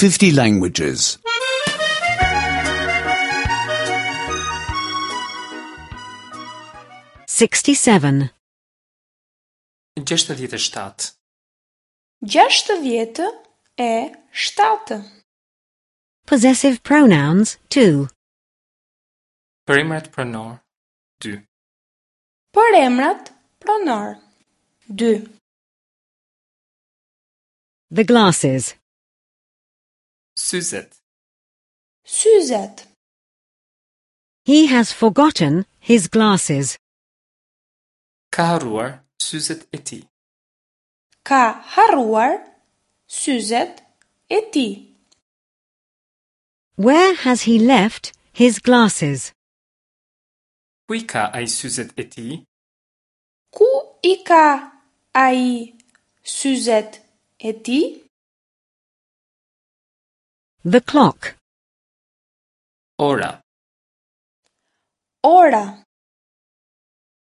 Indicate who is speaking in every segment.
Speaker 1: 50 languages.
Speaker 2: 67.
Speaker 3: 67.
Speaker 4: 67.
Speaker 2: Possessive pronouns 2.
Speaker 3: Përemrat pronor 2.
Speaker 4: Përemrat pronor 2.
Speaker 2: The glasses.
Speaker 3: Syzet.
Speaker 4: Syzet.
Speaker 2: He has forgotten his glasses.
Speaker 3: Ka harruar syzet e tij.
Speaker 4: Ka harruar syzet e tij.
Speaker 2: Where has he left his glasses?
Speaker 3: Ku i ka ai syzet e tij?
Speaker 4: Ku i ka ai syzet e tij?
Speaker 2: The clock.
Speaker 3: Ora.
Speaker 4: Ora.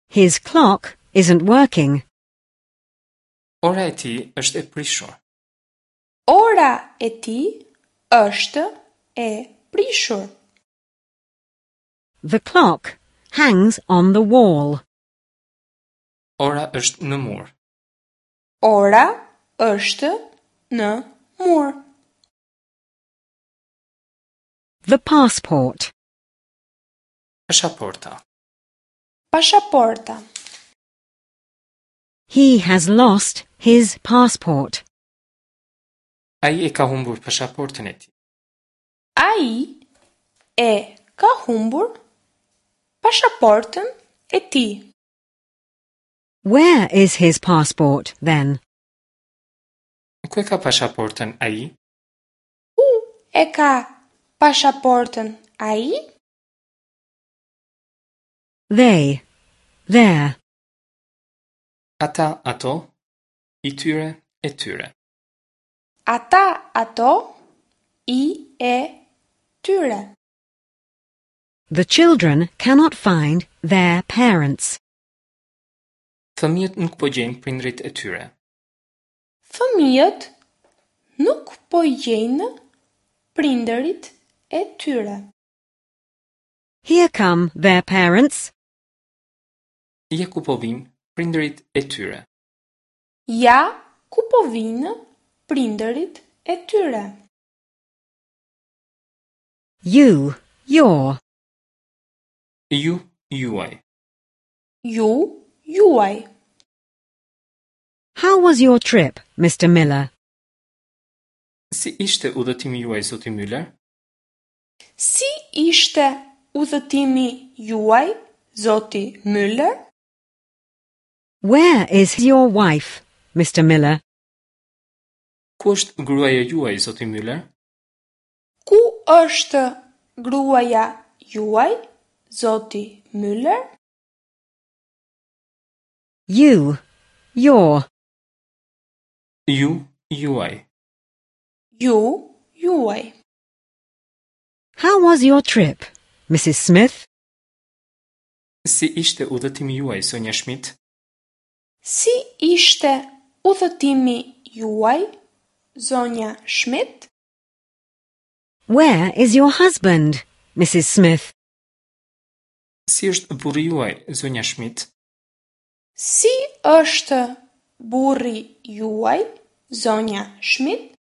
Speaker 2: His clock isn't working.
Speaker 3: Ora e tij është e prishur.
Speaker 4: Ora e tij është e prishur.
Speaker 2: The clock hangs on the wall.
Speaker 3: Ora është në mur.
Speaker 4: Ora është në mur.
Speaker 2: The passport.
Speaker 3: Pashaporta.
Speaker 4: Pashaporta.
Speaker 2: He has lost his passport.
Speaker 3: Ai e ka humbur pashaportën e tij.
Speaker 4: Ai e ka humbur pashaportën e tij.
Speaker 2: Where is his passport, then?
Speaker 3: Ku e ka pashaportën ai?
Speaker 4: Ku e ka pashaportën ai?
Speaker 2: They. Their.
Speaker 3: Ata, ato, i tyre, e tyre.
Speaker 4: Ata, ato, i, e, tyre.
Speaker 2: The children cannot find their parents.
Speaker 3: Fëmijët nuk po gjejnë prindërit e tyre.
Speaker 4: Fëmijët nuk po gjejnë prindërit e tyre.
Speaker 2: Here come their parents.
Speaker 3: Ja ku po vijnë prindërit e tyre.
Speaker 4: Ja ku po vijnë prindërit e tyre.
Speaker 2: You, your.
Speaker 3: Ju, juaj.
Speaker 4: Ju, juaj.
Speaker 2: How was your trip, Mr. Miller?
Speaker 3: Si ishte udhëtimi juaj, zoti Müller?
Speaker 4: Si ishte udhëtimi juaj, zoti Müller?
Speaker 2: Where is your wife, Mr. Miller?
Speaker 3: Ku është gruaja juaj, zoti Müller?
Speaker 4: Ku është gruaja juaj, zoti Müller?
Speaker 2: You, your.
Speaker 3: Ju, juaj.
Speaker 4: Ju, juaj.
Speaker 2: How was your trip, Mrs. Smith?
Speaker 3: Si ishte udhëtimi juaj, zonja Schmidt?
Speaker 4: Si ishte udhëtimi juaj, zonja Schmidt?
Speaker 2: Where is your husband, Mrs. Smith?
Speaker 3: Si është burri juaj, zonja Schmidt?
Speaker 4: Si është burri juaj, zonja Schmidt?